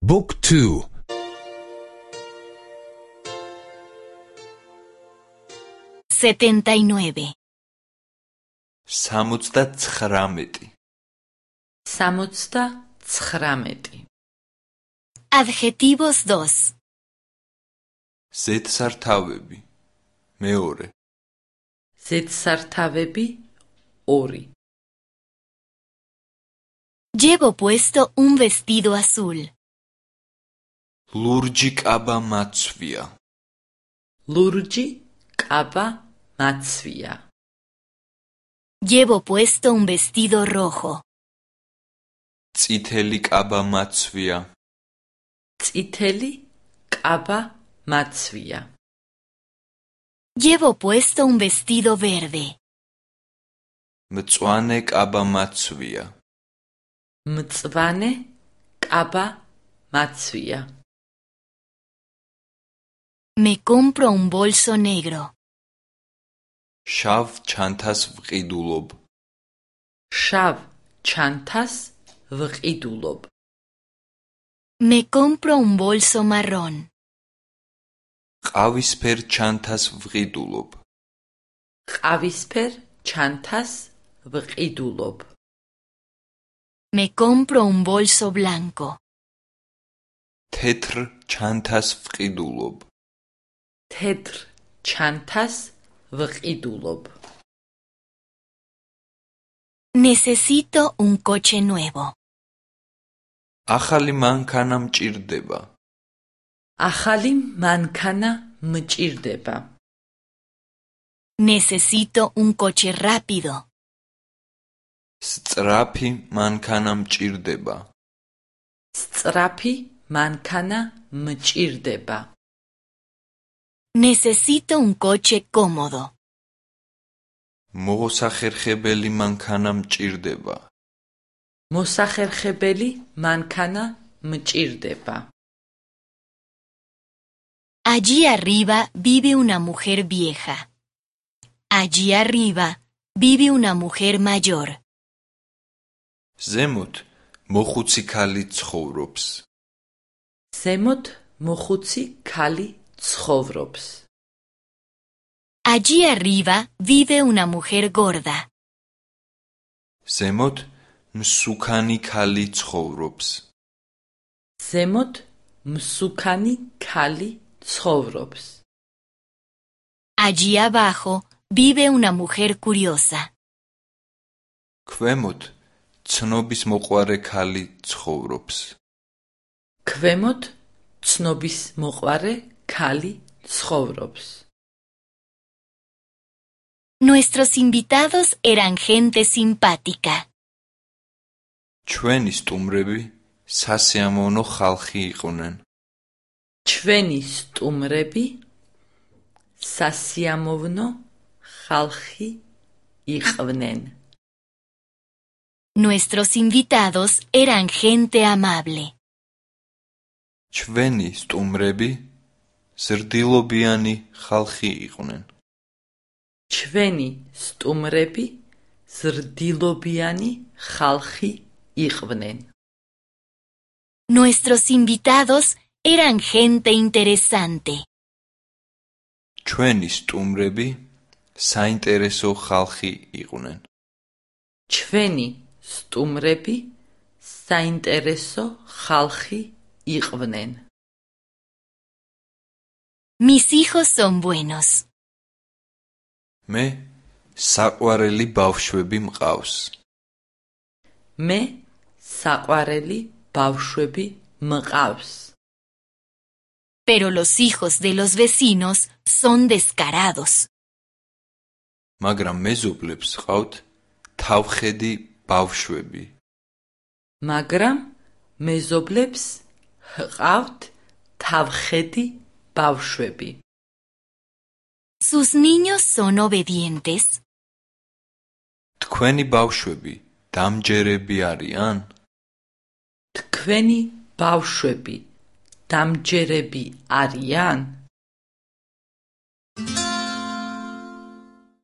Book 2 79 79 79 Adjetivos 2 ზედსართავები მეორე ზედსართავები 2 Llevo puesto un vestido azul. ლურჯი კაბა მაცვია ლურჯი კაბა მაცვია Llevo puesto un vestido rojo. წითელი კაბა მაცვია წითელი კაბა მაცვია Llevo puesto un vestido verde. მწვანე კაბა მაცვია მწვანე კაბა მაცვია Me compro un bolso negro. შავ ჩანთას ვყიდულობ შავ ჩანთას ვყიდულობ Me compro un bolso marrón. ყავისფერ ჩანთას ვყიდულობ ყავისფერ ჩანთას ვყიდულობ Me compro un bolso blanco. თეთრ ჩანთას ვყიდულობ თეთრ ჩანთას ვყიდულობ Necesito un coche nuevo. ახალი მანქანა მჭირდება ახალი მანქანა მჭირდება Necesito un coche rápido. სწრაფი მანქანა მჭირდება სწრაფი მანქანა მჭირდება Necesito un coche cómodo. მოსახერხებელი მანქანა მჭირდება მოსახერხებელი მანქანა მჭირდება Allí arriba vive una mujer vieja. Allí arriba vive una mujer mayor. ზემოთ მოხუცი ქალი ცხოვრობს ზემოთ მოხუცი ქალი ცხოვრობს Allí arriba vive una mujer gorda. ზემოთ მსუქანი ქალი ცხოვრობს ზემოთ მსუქანი ქალი ცხოვრობს Allí abajo vive una mujer curiosa. ქვემოთ ცნობის მოყვარე ქალი ცხოვრობს ქვემოთ ცნობის მოყვარე ქალი ცხოვრობს Nuestros invitados eran gente simpática. ჩვენი სტუმრები სასიამოვნო ხალხი იყვნენ ჩვენი სტუმრები სასიამოვნო ხალხი იყვნენ Nuestros invitados eran gente amable. ჩვენი სტუმრები ზრდილობიანი ხალხი იყვნენ ჩვენი სტუმრები ზრდილობიანი ხალხი იყვნენ Nuestros invitados eran gente interesante. ჩვენი სტუმრები საინტერესო ხალხი იყვნენ ჩვენი სტუმრები საინტერესო ხალხი იყვნენ Mis hijos son buenos. მე საყვარელი ბავშვები მყავს მე საყვარელი ბავშვები მყავს Pero los hijos de los vecinos son descarados. მაგრამ მეზობლებს ყავთ თავხედი ბავშვები მაგრამ მეზობლებს ჰყავთ თავხედი ბავშვები ¿Sus niños son obedientes? თქვენი ბავშვები დამჯერები არიან თქვენი ბავშვები დამჯერები არიან